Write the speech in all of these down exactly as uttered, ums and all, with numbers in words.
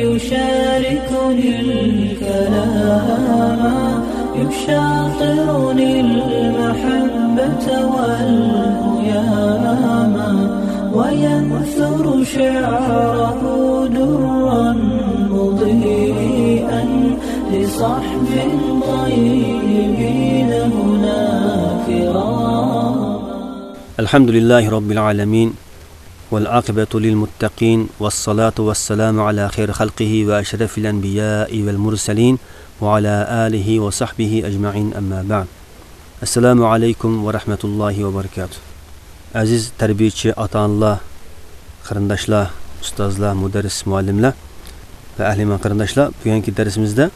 يشاركني الكلام، يشاطرني المحبة والهيام، وينثر شعره درا مضيئا لصحب طيبين هنا كرام. الحمد لله رب العالمين، والعاقبة للمتقين، والصلاة والسلام على خير خلقه وأشرف الأنبياء والمرسلين، وعلى آله وصحبه أجمعين، أما بعد. السلام عليكم ورحمة الله وبركاته. ئەزىز تەربىيەچى ئاتا-ئانىلار، قېرىنداشلار، ئۇستازلار، مۇدەررىس، مۇئەللىملەر ۋە ئەھلى ئىمان قېرىنداشلار، بۈگۈنكى دەرسىمىزدە،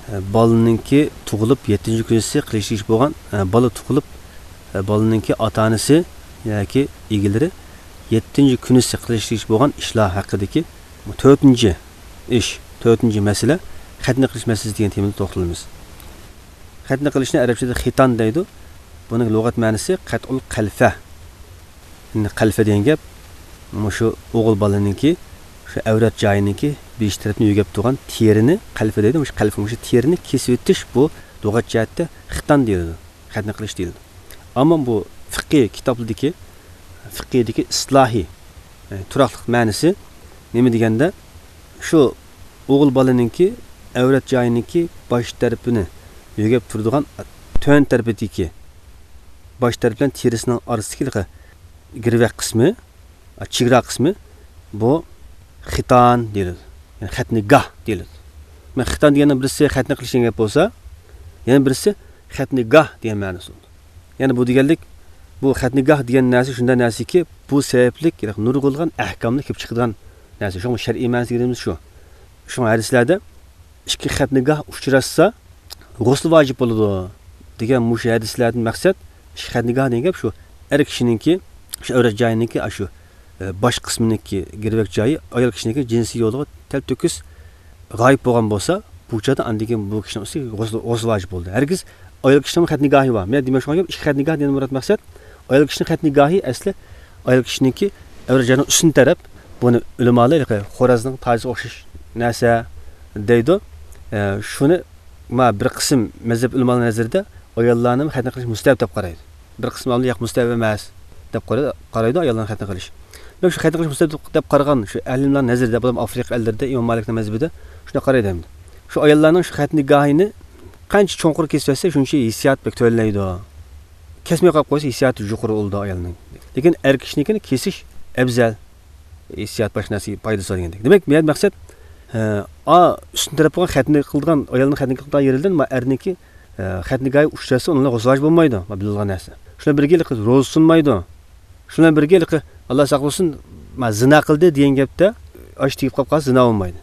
ئە، بالىنىڭكى تۇغۇلۇپ يەتتىنچى كۈنىسى قىلىشقا تېگىشلىك بولغان، ئە، بالا تۇغۇلۇپ، ئە، بالىنىڭكى ئاتا-ئانىسى ياكى ئىگىلىرى يەتتىنچى كۈنىسى قىلىشقا تېگىشلىك بولغان ئىشلار ھەققىدىكى تۆتىنچى ئىش، تۆتىنچى مەسىلە، خەتنە قىلىش مەسىلىسى دېگەن تېمىدا توختىلىمىز. خەتنە قىلىشنى ئەرەبچىدە خىتان دەيدۇ. بۇنىڭ لۇغەت مەنىسى قەتئۇل قەلفە. ئەمدى قەلفە دېگەن گەپ، مۇشۇ ئوغۇل بالىنىڭكى، شۇ ئەۋرەت جايىنىڭكى بېشى تەرەپنى يۆگەپ تۇرغان تېرىنى، قەلفە دەيدۇ، مۇشۇ قەلفە، مۇشۇ تېرىنى كېسىۋېتىش، بۇ لۇغەت جەھەتتە خىتان دېيىلىدۇ، خەتنە قىلىش دېيىلىدۇ. ئەمما بۇ فىقھىي كىتابلىرىدىكى، فىقھىيدىكى ئىسلاھىي، ئە، تۇراقلىق مەنىسى نېمە دېگەندە، شۇ ئوغۇل بالىنىڭكى ئەۋرەت جايىنىڭكى باش تەرىپىنى يۆگەپ تۇرىدىغان تۆۋەن تەرىپىدىكى باش تەرىپى بىلەن تېرىسىنىڭ ئارىسىدىكى ھېلىقى گىرۋەك قىسمى، چېگرا قىسمى، بۇ خىتان دېيىلىدۇ. يەنى خەتنىگاھ دېيىلىدۇ. مانا خىتان دېگەننىڭ بىرسى خەتنە قىلىش دېگەن گەپ بولسا، يەنە بىرسى خەتنىگاھ دېگەن مەنىسى بولىدۇ. يەنى بۇ دېگەنلىك، بۇ خەتنىگاھ دېگەن نەرسە شۇنداق نەرسىكى، بۇ سەۋەبلىك نۇرغۇنلىغان ئەھكاملار كېلىپ چىقىدىغان نەرسە. شۇڭا شەرئىي مەنىسى دېگىنىمىز شۇ. شۇڭا ھەدىسلەردە ئىككى خەتنىگاھ ئۇچراشسا، غۇسل ۋاجىپ بولىدۇ دېگەن مۇشۇ ھەدىسلەردىن مەقسەت، ئىككى خەتنىگاھ دېگەن گەپ شۇ، ئەر كىشىنىڭكى، شۇ ئەۋرەت جايىنىڭكى، شۇ، ئە، باش قىسمىنىڭكى گىرۋەك جايى ئايال كىشىنىڭكى جىنسىي يولغا تەلتۆكۈس غايىب بولغان بولسا، بۇ چاغدا ئاندىن كېيىن بۇ كىشىنىڭ ئۈستىگە غۇسل، غۇسل ۋاجىپ بولدى. ھەرگىز ئايال كىشىنىڭ خەتنىگاھى بار. مەن دېمەكچى بولغان گەپ، ئىككى خەتنىگاھ دېگەندىن مۇراد مەقسەت، ئايال كىشىنىڭ خەتنىگاھى ئەسلى ئايال كىشىنىڭكى ئەۋرەت جايىنىڭ ئۈستۈن تەرەپ، بۇنى ئۆلىمالار ھېلىقى خورازنىڭ تاجىسىغا ئوخشاش نەرسە دەيدۇ. ئە، شۇنى، ما، بىر قىسىم مەزھەپ ئۆلىمالار نەزىرىدە ئاياللارنىمۇ خەتنە قىلىش مۇستەھەب دەپ قارايدۇ. بىر قىسىم ئالىملار ياق، مۇستەھەب ئەمەس دەپ قارا-، قارايدۇ ئاياللارنى خەتنە قىلىش. دېمەك، شۇ خەتنە قىلىش مۇستەھەب دەپ قارىغان شۇ ئەھلىملار نەزىرىدە، بۇلار ئافرىقا ئەللىرىدە ئىمام مالىكنىڭ مەزھىپىدە شۇنداق قارايدۇ ئەمدى. شۇ ئاياللارنىڭ شۇ خەتنىگاھىنى قانچە چوڭقۇر كېسىۋەتسە، شۇنچە ھېسسىيات بەك تۆۋەنلەيدۇ. كەسمەي قالىپ قويسا، ھېسسىياتى يۇقىرى بولىدۇ ئايالنىڭ. لېكىن ئەر كىشىنىڭكىنى كېسىش ئەۋزەل. ھېسسىيات باشقا نەرسىگە پايدىسى بار دېگەندەك. دېمەك، بۇ يەردە مەقسەت، ئە، ئا، ئۈستۈن تەرەپ بولغان خەتنە قىلىدىغان، ئايالنىڭ خەتنە قىلىدىغان يېرىدىن، ما، ئەرنىڭكى، ئە، خەتنىگاھى ئۇچراشسا، ئۇنىڭ غۇسلى ۋاجىپ بولمايدۇ. ما، بىلىدىغان نەرسە. شۇنىڭ بىرگە ھېلىقى روزىسى سۇنمايدۇ. شۇنىڭ بىرگە ھېلىقى، ئاللا ساقلىسۇن، ما، زىنا قىلدى دېگەن گەپتە، ئاش تېگىپ قاپ قالسا، زىنا بولمايدۇ.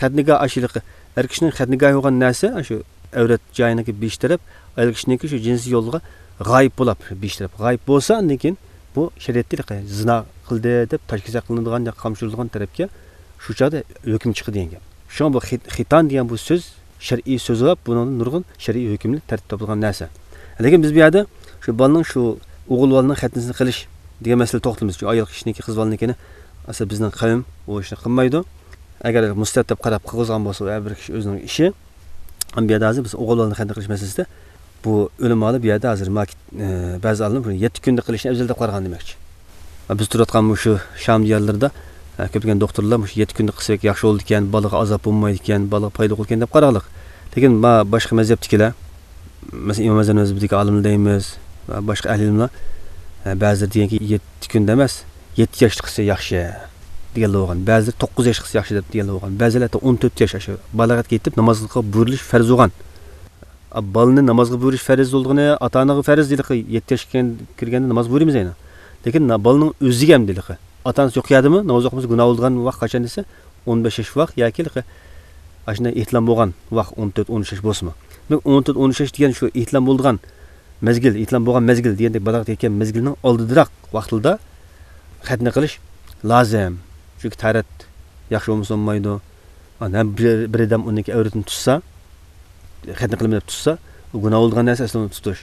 خەتنىگاھ ئاش ھېلىقى، ئەر كىشىنىڭ خەتنىگاھى بولغان نەرسە، شۇ ئەۋرەت جايىنىڭكى بېشى تەرەپ، ئايال كىشىنىڭكى شۇ جىنسىي يولغا غايىب بولاپ، بېشى تەرەپ غايىب بولسا، ئاندىن كېيىن بۇ شەرىئەتتە ھېلىقى زىنا قىلدى دەپ تاشكېسەك قىلىنىدىغان ياكى قامچىلىنىدىغان تەرەپكە شۇ چاغدا ھۆكۈم چىقىدۇ دېگەن گەپ. شۇڭا بۇ خىت-، خىتان دېگەن بۇ سۆز شەرئىي سۆز بولۇپ، بۇنىڭدا نۇرغۇن شەرئىي ھۆكۈملەر تەرتىپ تاپىلغان نەرسە. لېكىن بىز بۇ يەردە شۇ بالىنىڭ، شۇ ئوغۇل بالىنىڭ خەتنىسىنى قىلىش دېگەن مەسىلىدە توختىلىمىز. چۈنكى ئايال كىشىنىڭكى، قىز بالىنىڭكىنى ئەسلى بىزنىڭ قەۋم ئۇ ئىشنى قىلمايدۇ. ئەگەر مۇستەھەب دەپ قاراپ قىلغۇزغان بولسا، ھەر بىر كىشى ئۆزىنىڭ ئىشى. ئەمما بۇ يەردە ھازىر بىز ئوغۇل بالىنى خەتنە قىلىش مەسىلىسىدە بۇ ئۆلىمالار بۇ يەردە ھازىر ماكىت، ئە، بەزى ئالىم بۇنى يەتتە كۈندە قىلىشنى ئەۋزەل دەپ قارىغان دېمەكچى. بىز تۇرۇۋاتقان مۇشۇ شام دىيارلىرىدا، ئە، كۆپلىگەن دوختۇرلار مۇشۇ يەتتە كۈندە قىلسا بەك ياخشى بولىدىكەن، بالىغا ئازاب بولمايدىكەن، بالىغا پايدا بولىدىكەن دەپ قارىغانلىق. لېكىن ما باشقا مەزھەپتىكىلەر، مەسىلەن، ئىمام ئەزھەر مەزھىپىدىكى ئالىملار دەيمىز ۋە باشقا ئەھلى ئىلىملار، ئە، بەزىلەر دېگەنكى، يەتتە كۈندە ئەمەس، يەتتە ياشتا قىلسا ياخشى دېگەنلەر بولغان. بەزىلەر توققۇز ياشتا قىلسا ياخشى دەپ دېگەنلەر بولغان. بەزىلەر ھەتتا ئون تۆت ياش، ئاشۇ بالاغەتكە يېتىپ نامازغا بۇيرۇلۇش پەرز بولغان. ئا، بالىنى نامازغا بۇيرۇش پەرز بولىدىغىنى، ئاتا-ئانىغا پەرز دېيىلىقى، يەتتە ياشقا كىرگەندە ناماز بۇيرۇيمىز ئەينى. لېكىن نا-، بالىنىڭ ئۆزىگە ھەم دېيىلىقى. ئاتا-ئانىسى يوق يەردىمۇ ناماز ئوقۇمىسا گۇناھ بولىدىغان ۋاقىت قاچان دېسە، ئون بەش ياش ۋاق ياكى ھېلىقى ئاشۇنداق ئېھتىلام بولغان ۋاق، ئون تۆت، ئون ئۈچ ياش بولسىمۇ. دېمەك، ئون تۆت، ئون ئۈچ ياش دېگەن شۇ ئېھتىلام بولىدىغان مەزگىل، ئېھتىلام بولغان مەزگىل دېگەندەك بالاغەتكە يەتكەن مەزگىلنىڭ ئالدىدىراق ۋاقتىدا خەتنە قىلىش لازىم. چۈنكى تەھارەت ياخشى بولمىسا بولمايدۇ. ئانا بىر، بىر ئادەم ئۇنىڭكى ئەۋرىتىنى تۇتسا، خەتنە قىلىمەن دەپ تۇتسا، ئۇ گۇناھ بولىدىغان نەرسە ئەسلى ئۇنى تۇتۇش.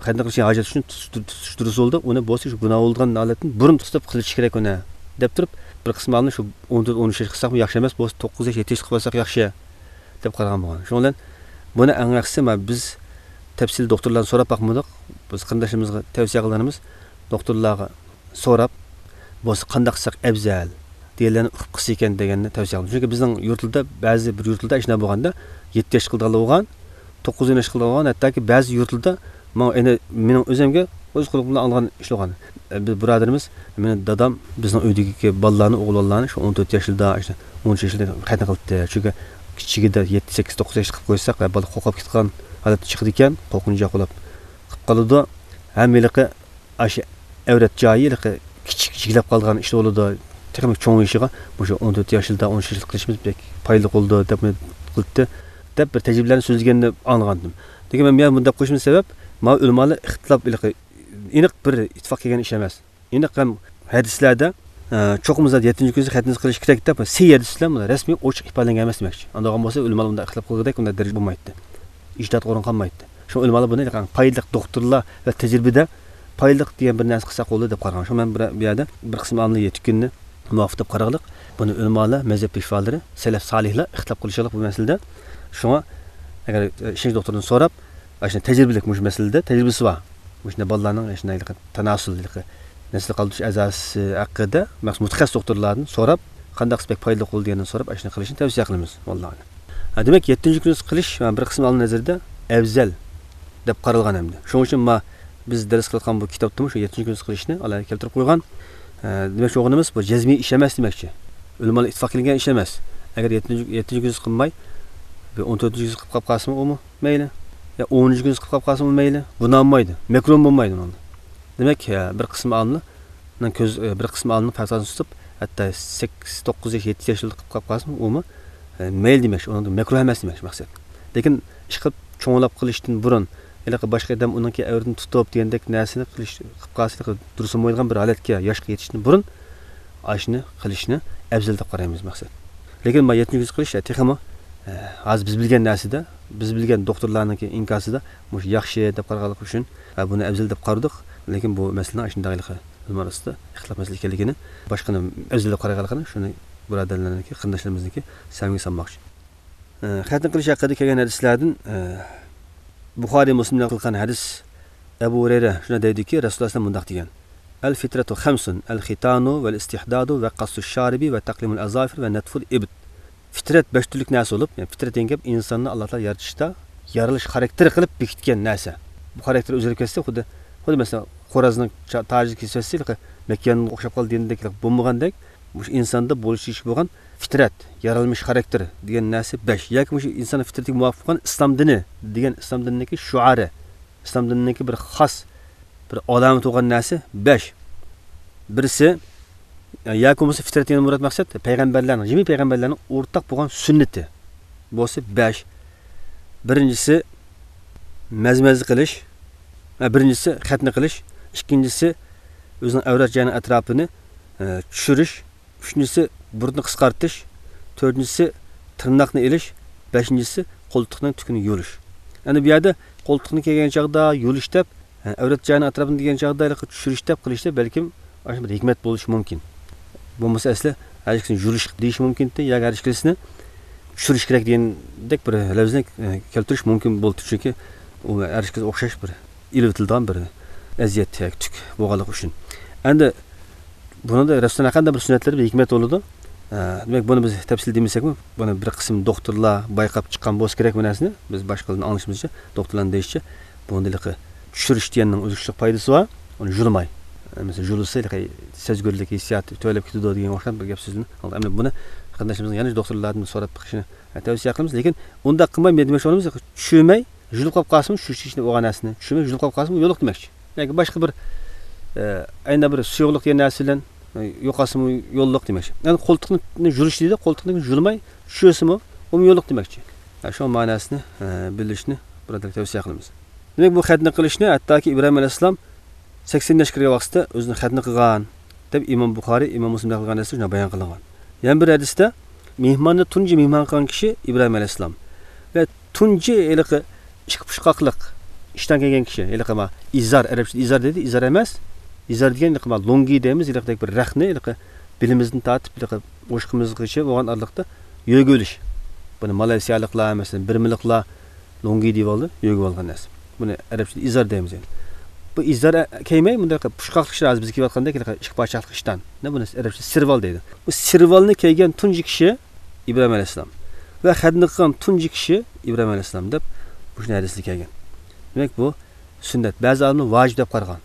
خەتنە قىلىشنى ھاجەت ئۈچۈن تۇتۇش، تۇتۇش، تۇتۇش دۇرۇس بولدى. ئۇنى بولسا شۇ گۇناھ بولىدىغان ھالەتتىن بۇرۇن تۇتۇپ قىلىش كېرەك ئۇنى، دەپ تۇرۇپ، بىر قىسىم ئالىملار شۇ ئون تۆت، ئون ئۈچ ياش قىلساقمۇ ياخشى ئەمەس، بولسا توققۇز ياش، يەتتە ياش قىلىپ قويساق ياخشى دەپ قارىغان بولغان. شۇنىڭ بىلەن بۇنى ئەڭ ياخشىسى، مانا بىز تەپسىلىي دوختۇرلارنى سوراپ باقمىدۇق. بىز قېرىنداشلىرىمىزغا تەۋسىيە قىلغىنىمىز، دوختۇرلارغا سوراپ، بولسا قانداق قىلساق ئەۋزەل دېگەنلەرنى ئۇقۇپ قىلسا ئىكەن دېگەننى تەۋسىيە قىلدىم. چۈنكى بىزنىڭ يۇرتلىرىدا، بەزى بىر يۇرتلىرىدا ئاشۇنداق بولغاندا، يەتتە ياش قىلىدىغانلار بولغان، توققۇز ياش قىلىدىغان، ھەتتاكى بەزى يۇرتلىرىدا ماڭا ئەنە مېنىڭ ئۆزۈمگە ئۆز قولۇم بىلەن ئالغان ئىش بولغان. بىر بۇرادىرىمىز، مېنىڭ دادام بىزنىڭ ئۆيدىكى بالىلارنى، ئوغۇل بالىلارنى شۇ ئون تۆت ياشلىرىدا، شۇ ئون ئۈچ ياشلىرىدا خەتنە قىلىپتى. چۈنكى كىچىكىدە يەتتە، سەككىز، توققۇز ياشلىق قىلىپ قويساق، بالىلار قورقۇپ كېتىدىغان ھالەتتە چىقىدىكەن، قورقۇنچاق بولۇپ قىلىپ قالىدۇ. ھەم ھېلىقى ئاشۇ ئەۋرەت جايى ھېلىقى كىچىك، جىگلەپ قالغان ئىشلار بولىدۇ. تېخىمۇ چوڭىيىشىغا مۇشۇ ئون تۆت ياشلىرىدا، ئون ئۈچ ياشلىق قىلىشىمىز بەك پايدىلىق بولىدۇ دەپ قىلىپتى، دەپ بىر تەجرىبىلەرنى سۆزلىگەننى ئاڭلىغانىدىم. لېكىن مەن بۇ يەردە بۇنداق قويۇشۇمنىڭ سەۋەب، ماۋۇ ئۆلىمالار ئىختىلاپ ھېلىقى ئېنىق بىر ئىتتىپاق كەلگەن ئىش ئەمەس. ئېنىق ھەم ھەدىسلەردە، ئە، چوقۇم زادى يەتتىنچى كۈنى خەتنىسى قىلىش كېرەك دەپ سەھىھ ھەدىس بىلەن بۇنى رەسمىي ئوچۇق ئىپادىلەنگەن ئەمەس دېمەكچى. ئاندىن بولغان بولسا ئۆلىمالار بۇنداق ئىختىلاپ قىلغۇدەك بۇنداق دەرىجە بولمايتتى. ئىجتىھات ئورۇن قالمايتتى. شۇڭا ئۆلىمالار بۇنى پايدىلىق دوختۇرلار ۋە تەجرىبىدە پايدىلىق دېگەن بىر نەرسە قىلساق بولىدۇ دەپ قارىغان. شۇڭا مەن بۇ يەردە بىر قىسىم ئالىملار يەتتە كۈننى مۇۋاپىق دەپ قارىغانلىق. بۇنى ئۆلىمالار، مەزھەپ پېشۋالىرى، سەلەف سالىھلار ئىختىلاپ قىلىشلىق بۇ مەسىلىدە. شۇڭا ئەگەر، ئە، ئىشەنچ دوختۇردىن سوراپ، ئاشۇنداق تەجرىبىلىك مۇشۇ مەسىلىدە تەجرىبىسى بار. مۇشۇنداق بالىلارنىڭ شۇنداق تاناسۇل، نەسىل قالدۇرۇش ئەزاسى ھەققىدە مەخسۇس مۇتەخەسسىس دوختۇرلاردىن سوراپ، قانداق بەك پايدىلىق بولىدۇ دېگەندىن سوراپ، ئاشۇنى قىلىشنى تەۋسىيە قىلىمىز. ۋاللاھۇ ئەلەم. ھە، دېمەك، يەتتىنچى كۈنى قىلىش، مانا، بىر قىسىم ئالىملار نەزىرىدە ئەۋزەل دەپ قارالغان ئەمدى. شۇنىڭ ئۈچۈن ما، بىز دەرس قىلىۋاتقان بۇ كىتابتىمۇ شۇ يەتتىنچى كۈنى قىلىشنى ئالاھىدە كەلتۈرۈپ قويغان. ھە، دېمەكچى بولغىنىمىز، بۇ جەزمىي ئىش ئەمەس دېمەكچى. ئۆلىمالار ئىتتىپاق كېلىنگەن ئىش ئەمەس. ئەگەر يەتتىنچى، يەتتىنچى كۈنى قىلماي، بىر ئون تۆتىنچى كۈنى قىلىپ قاپ قالسىمۇ ئۇمۇ مەيلى. يا ئونىنچى كۈنى قىلىپ قاپ قالسىمۇ مەيلى. گۇناھمۇ بولمايدۇ. گۇناھمۇ بولمايدۇ بۇنىڭدا. دېمەك، ھە، بىر قىسىم ئالىمنىڭ كۆز، بىر قىسىم ئالىمنىڭ پەتۋاسىنى تۇتۇپ، ھەتتا سەككىز، توققۇز ياش، يەتتە ياشلىرىدا قىلىپ قاپ قالسىمۇ ئۇمۇ، ئە، مەيلى دېمەكچى، ئۇنىڭدا مەكرۇھ ئەمەس دېمەكچى مەقسەت. لېكىن ئىشقىلىپ چوڭلاپ قىلىشتىن بۇرۇن، ھېلىقى باشقا ئادەم ئۇنىڭكى ئەۋرىتىنى تۇتۇپ دېگەندەك نەرسىنى قىلىش، قىلىپ قالسا، ھېلىقى دۇرۇس بولمايدىغان بىر ھالەتكە، ياشقا يېتىشتىن بۇرۇن ئاشۇنى قىلىشنى ئەۋزەل دەپ قارايمىز مەقسەت. لېكىن ما يەتتىنچى كۈنى قىلىش، ئە، تېخىمۇ، ئە، ھازىر بىز بىلگەن نەرسىدە، بىز بىلگەن دوختۇرلارنىڭكى ئىنكاسىدا مۇشۇ ياخشى دەپ قارىغانلىقى ئۈچۈن، ئە، بۇنى ئەۋزەل دەپ قارىدۇق. لېكىن بۇ مەسىلىنىڭ ئاشۇنداق ھېلىقى ئۆلىمالار ئارىسىدا ئىختىلاپ مەسىلە ئىكەنلىكىنى، باشقىنى ئەۋزەل دەپ قارايدىغانلىقىنى، شۇنى بۇرادەرلەرنىڭكى، قېرىنداشلىرىمىزنىڭكى سەمىگە سالماقچى. ئە، خەتنە قىلىش ھەققىدە كەلگەن ھەدىسلەردىن، ئە، بۇخارىي، مۇسلىم رىۋايەت قىلغان ھەدىس، ئەبۇ ھۇرەيرە شۇنداق دەيدۇكى، رەسۇلۇللاھ ئەلەيھىسسالام مۇنداق دېگەن: «الفطرة خمس، الختان والاستحداد وقص الشارب وتقليم الأظافر ونتف الإبط.» فىترەت بەش تۈرلۈك نەرسە بولۇپ، يەنى فىترەت دېگەن گەپ ئىنساننى ئاللا تائالا يارىتىشتا يارىلىش خاراكتېرى قىلىپ بېكىتكەن نەرسە. بۇ خاراكتېر ئۆزگىرىپ كەتسە، خۇددى، خۇددى مەسىلەن، خورازنىڭ چا-، تاجى كېسىۋەتسە، ھېلىقى مەككەنگە ئوخشاپ قالدى دېگەندەك بولمىغاندەك، مۇشۇ ئىنساندا بولۇشى تېگىشلىك بولغان فىترەت، يارالمىش خاراكتېر دېگەن نەرسە بەش. ياكى مۇشۇ ئىنسان فىترىتىگە مۇۋاپىق بولغان ئىسلام دىنى دېگەن ئىسلام دىنىنىڭكى شوئارى، ئىسلام دىنىنىڭكى بىر خاس، بىر ئالامىتى بولغان نەرسە بەش. بىرسى، ياكى بولمىسا فىترەت دېگەن مۇراد مەقسەت پەيغەمبەرلەرنىڭ، جىمى پەيغەمبەرلەرنىڭ ئورتاق بولغان سۈننىتى بولسا بەش. بىرىنچىسى، مەزمەزە قىلىش. ھە، بىرىنچىسى، خەتنە قىلىش. ئىككىنچىسى، ئۆزىنىڭ ئەۋرەت جايىنىڭ ئەتراپىنى، ئە، چۈشۈرۈش. ئۈچىنچىسى، بۇرۇتنى قىسقارتىش. تۆتىنچىسى، تىرناقنى ئېلىش. بەشىنچىسى، قولتۇقنىڭ تۈكىنى يۇلۇش. ئەنە بۇ يەردە قولتۇقنى كىيگەن چاغدا يۇلۇش دەپ، ھە، ئەۋرەت جايىنىڭ ئەتراپىنى دېگەن چاغدا ھېلىقى چۈشۈرۈش دەپ قىلىشتا بەلكىم ئاشۇ بىر ھېكمەت بولۇشى مۇمكىن. بولمىسا ئەسلى ھەر ئىككىسىنى يۇلۇش دېيىشى مۇمكىنتى، ياكى ھەر ئىككىسىنى چۈشۈرۈش كېرەك دېگەندەك بىر لەۋزنى، ئە، كەلتۈرۈش مۇمكىن بولدى. چۈنكى ئۇ ھەر ئىككىسى ئوخشاش بىر ئېلىۋېتىلىدىغان بىر ئەزىيەت ياكى تۈك بولغانلىقى ئۈچۈن. ئەندى بۇنىڭدا رەسۇلۇللاھنىڭ ھەر قانداق بىر سۈننەتلىرى بىر ھېكمەت بولىدۇ. ئە، دېمەك، بۇنى بىز تەپسىلىي دېمىسەكمۇ، بۇنى بىر قىسىم دوختۇرلار بايقاپ چىققان بولسا كېرەك بۇ نەرسىنى. بىز باشقىلاردىن ئاڭلىشىمىزچە، دوختۇرلارنىڭ دېيىشىچە، بۇنىڭدا ھېلىقى چۈشۈرۈش دېگەننىڭ ئۆزگىچىلىك پايدىسى بار. ئۇنى يۇلماي. مەسىلەن، يۇلسا ھېلىقى سەزگۈرلۈك ھېسسىياتى تۆۋەنلەپ كېتىدۇ دېگەن ئوخشىغان بىر گەپ سۆزنى ئاڭلىدۇق. ئەمدى بۇنى قېرىنداشلىرىمىزنىڭ يەنە دوختۇرلاردىن سوراپ بېقىشىنى، ئە، تەۋسىيە قىلىمىز. لېكىن ئۇنداق قىلماي، مەن دېمەكچى بولغىنىم، چۈشۈرمەي، يۇلۇپ قاپ قالسىمۇ، شۇ چېچىنى بولغان نەرسىنى چۈشۈرمەي، يۇلۇپ قاپ قالسىمۇ يوللۇق دېمەكچى. ياكى باشقا بىر، ئە، ئەينە بىر سۇيۇقلۇق دېگەن نەرسە بىلەن، ئە، يوقالسىمۇ يوللۇق دېمەكچى. يەنى قولتۇقنى يۇلۇش دېدى، قولتۇقنى يۇلماي چۈشۈرسىمۇ، ئۇمۇ يوللۇق دېمەكچى. ھە، شۇ مەنىسىنى، ئە، بىلىشنى بۇرادەرلەرگە تەۋسىيە قىلىمىز. دېمەك، بۇ خەتنە قىلىشنى ھەتتاكى ئىبراھىم ئەلەيھىسسالام سەكسەن ياشقا كىرگەن ۋاقتىدا ئۆزىنى خەتنە قىلغان، دەپ ئىمام بۇخارىي، ئىمام مۇسلىم رىۋايەت قىلغان ھەدىستە شۇنداق بايان قىلىنغان. يەنە بىر ھەدىستە، مېھماننى تۇنجى مېھمان قىلغان كىشى ئىبراھىم ئەلەيھىسسالام ۋە تۇنجى ھېلىقى ئىككى پۇچقاقلىق ئىشتان كىيگەن كىشى، ھېلىقى ما ئىزار، ئەرەبچىدە ئىزار دەيدۇ، ئىزار ئەمەس. ئىزار دېگەن ھېلىقى ما لۇڭگى دەيمىز، ھېلىقىدەك بىر رەخنە، ھېلىقى بېلىمىزدىن تارتىپ ھېلىقى ئوشۇقىمىزغىچە بولغان ئارىلىقتا يۆگە ئۆلۈش. بۇنى مالايسىيالىقلار، مەسىلەن، بىرمىلىقلار لوڭگى دېيىۋالدى، يۆگە ئالغان نەرسە. بۇنى ئەرەبچىدە ئىزار دەيمىز يەنى. بۇ ئىزار كىيمەي، بۇنداق پۇشقاقلىق ئىشلار، ھازىر بىز كىيىۋاتقاندەك ھېلىقى ئىككى پارچىلىق ئىشتان. نە، بۇنى ئەرەبچىدە سىرۋال دەيدۇ. بۇ سىرۋالنى كىيگەن تۇنجى كىشى ئىبراھىم ئەلەيھىسسالام. ۋە خەتنە قىلغان تۇنجى كىشى ئىبراھىم ئەلەيھىسسالام دەپ مۇشۇ ھەدىستە كەلگەن. دېمەك، بۇ سۈننەت. بەزى ئالىملار ۋاجىپ دەپ قارىغان.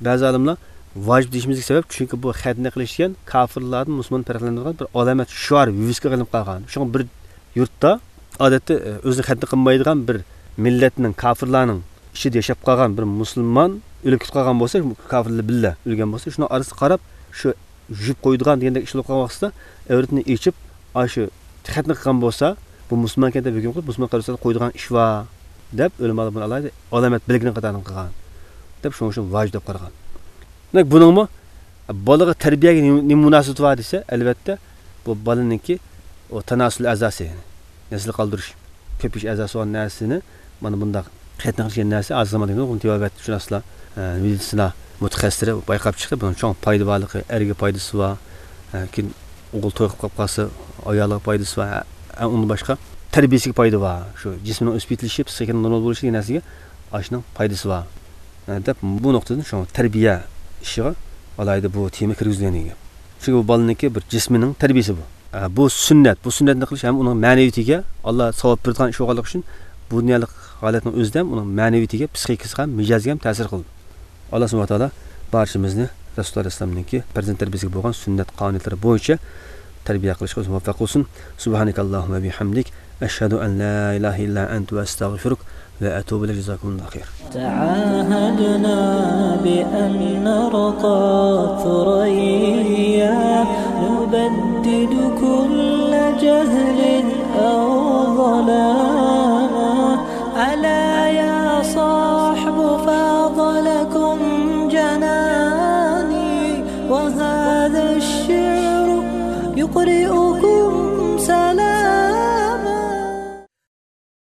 بەزى ئالىملار ۋاجىپ دېيىشىمىزدىكى سەۋەب، چۈنكى بۇ خەتنە قىلىش دېگەن كاپىرلاردىن مۇسۇلماننى پەرقلەندۈرىدىغان بىر ئالامەت، شوئار، ۋىۋىسكا ئېلىنىپ قالغان. شۇڭا بىر يۇرتتا، ئادەتتە، ئۆزىنى خەتنە قىلمايدىغان بىر مىللەتنىڭ، كاپىرلارنىڭ ئىچىدە ياشاپ قالغان بىر مۇسۇلمان ئۆلۈپ كېتىپ قالغان بولسا، كاپىرلار بىللە ئۆلگەن بولسا، شۇنىڭ ئارىسىغا قاراپ، شۇ يۇيۇپ قويىدىغان دېگەندەك ئىش بولۇپ قالغان ۋاقتىدا، ئەۋرىتىنى ئېچىپ، ئاشۇ خەتنە قىلغان بولسا، بۇ مۇسۇلمانكەن دەپ ھۆكۈم قىلىپ، مۇسۇلمان قەبرىسىگە قويىدىغان ئىش بار دەپ، ئۆلىمالار بۇنى ئالاھىدە ئالامەت بەلگىنىڭ قاتارىدىن قىلغان دەپ، شۇڭا شۇ ۋاجىپ دەپ قارىغان. دېمەك، بۇنىڭمۇ بالىغا تەربىيەگە نېمە، نېمە مۇناسىۋىتى بار دېسە، ئەلۋەتتە، بۇ بالىنىڭكى ئۇ تاناسۇل ئەزاسى، يەنى نەسىل قالدۇرۇش، كۆپىيىش ئەزاسى بولغان نەرسىنى، مانا بۇنداق خەتنە قىلىش دېگەن نەرسە، ھازىر زاماندا بۇنى تېبابەت شۇناسلار، ئە، مېدىتسىنا مۇتەخەسسىسلىرى بايقاپ چىقتى. بۇنىڭ چوڭ پايدا بارلىقى، ئەرگە پايدىسى بار، ئە، كېيىن ئوغۇل توي قىلىپ قاپقالسا، ئايالىغا پايدىسى بار، ئە، ئۇندىن باشقا تەربىيەسىگە پايدا بار. شۇ جىسمىنىڭ ئۆسۈپ يېتىلىشى، پسىخىكىنىڭ نورمال بولۇشى دېگەن نەرسىگە ئاشۇنىڭ پايدىسى بار، ئە، دەپ بۇ نۇقتىدىن شۇ تەربىيە ئىشىغا ئالاھىدە بۇ تېما كىرگۈزۈلگەن ئىدى. چۈنكى بۇ بالىنىڭكى بىر جىسمىنىڭ تەربىيىسى بۇ. ئە، بۇ سۈننەت. بۇ سۈننەتنى قىلىش ھەم ئۇنىڭ مەنىۋىيىتىگە ئاللا ساۋاب بېرىدىغان ئىش بولغانلىقى ئۈچۈن، بۇ دۇنيالىق ھالەتنىڭ ئۆزىدە ھەم ئۇنىڭ مەنىۋىيىتىگە، پسىخىكىسىغا ھەم مىجەزىگە ھەم تەسىر قىلىدۇ. ئاللا سۇبھانەھۇ ۋە تائالا بارچىمىزنى رەسۇلۇللا ئەلەيھىسسالامنىڭكى پەرزەنت تەربىيىسىگە بولغان سۈننەت قانۇنىيەتلىرى بويىچە تەربىيە قىلىشقا ئۆزى مۇۋەپپەق قىلسۇن. سۇبھانەكەللاھۇممە بىھەمدىك، ئەشھەدۇ ئەن لا ئىلاھە ئىللا ئەنتە ۋە ئەستەغفىرۇك ۋە ئەتۇبۇ ئىلەيك. جازاكۇمۇللاھۇ خەير. تعاهدنا بأن نرقى ثريا، نبدد كل جهل أو ظلام. ألا يا صاحب فاض لكم جناني، وهذا الشعر يقرئكم سلام.